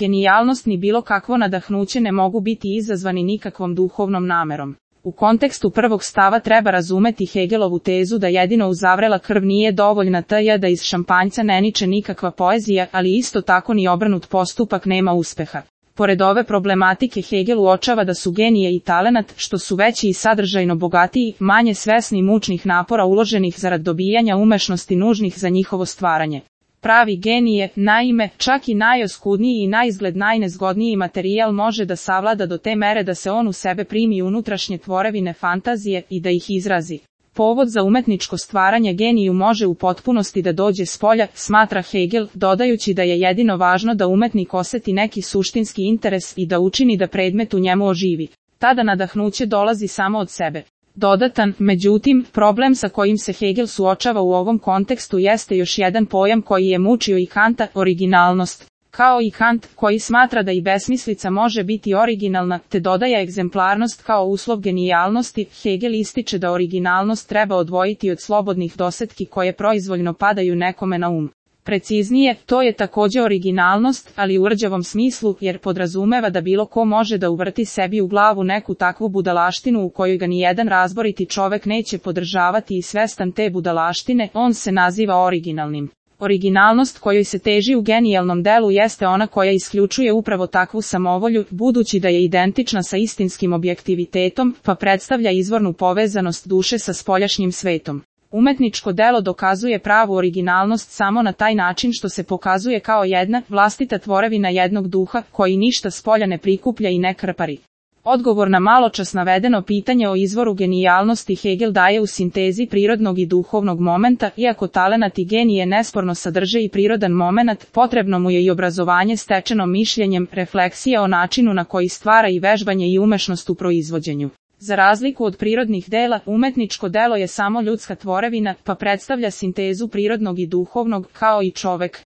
Genijalnost ni bilo kakvo nadahnuće ne mogu biti izazvani nikakvom duhovnom namerom. U kontekstu prvog stava treba razumeti Hegelovu tezu da jedino uzavrela krv nije dovoljna da iz šampanjca ne niče nikakva poezija, ali isto tako ni obrnut postupak nema uspeha. Pored ove problematike Hegel uočava da su genije i talenat, što su veći i sadržajno bogatiji, manje svesni mučnih napora uloženih zarad dobijanja umešnosti nužnih za njihovo stvaranje. Pravi genije, naime, čak i najoskudniji i naizgled najnezgodniji materijal može da savlada do te mere da se on u sebe primi unutrašnje tvorevine fantazije i da ih izrazi. Povod za umetničko stvaranje geniju može u potpunosti da dođe spolja, smatra Hegel, dodajući da je jedino važno da umetnik oseti neki suštinski interes i da učini da predmet u njemu oživi. Tada nadahnuće dolazi samo od sebe. Dodatan, međutim, problem sa kojim se Hegel suočava u ovom kontekstu jeste još jedan pojam koji je mučio i Kanta, originalnost. Kao i Kant, koji smatra da i besmislica može biti originalna, te dodaje egzemplarnost kao uslov genijalnosti, Hegel ističe da originalnost treba odvojiti od slobodnih dosetki koje proizvoljno padaju nekome na um. Preciznije, to je takođe originalnost, ali u rđavom smislu, jer podrazumeva da bilo ko može da uvrti sebi u glavu neku takvu budalaštinu u kojoj ga nijedan razboriti čovek neće podržavati i svestan te budalaštine, on se naziva originalnim. Originalnost kojoj se teži u genijalnom delu jeste ona koja isključuje upravo takvu samovolju, budući da je identična sa istinskim objektivitetom, pa predstavlja izvornu povezanost duše sa spoljašnjim svetom. Umetničko delo dokazuje pravu originalnost samo na taj način što se pokazuje kao jedna, vlastita tvorevina jednog duha, koji ništa spolja ne prikuplja i ne krpari. Odgovor na maločas navedeno pitanje o izvoru genijalnosti Hegel daje u sintezi prirodnog i duhovnog momenta, iako talenat i genije nesporno sadrže i prirodan momenat, potrebno mu je i obrazovanje stečeno mišljenjem, refleksija o načinu na koji stvara i vežbanje i umešnost u proizvođenju. Za razliku od prirodnih dela, umetničko delo je samo ljudska tvorevina, pa predstavlja sintezu prirodnog i duhovnog, kao i čovek.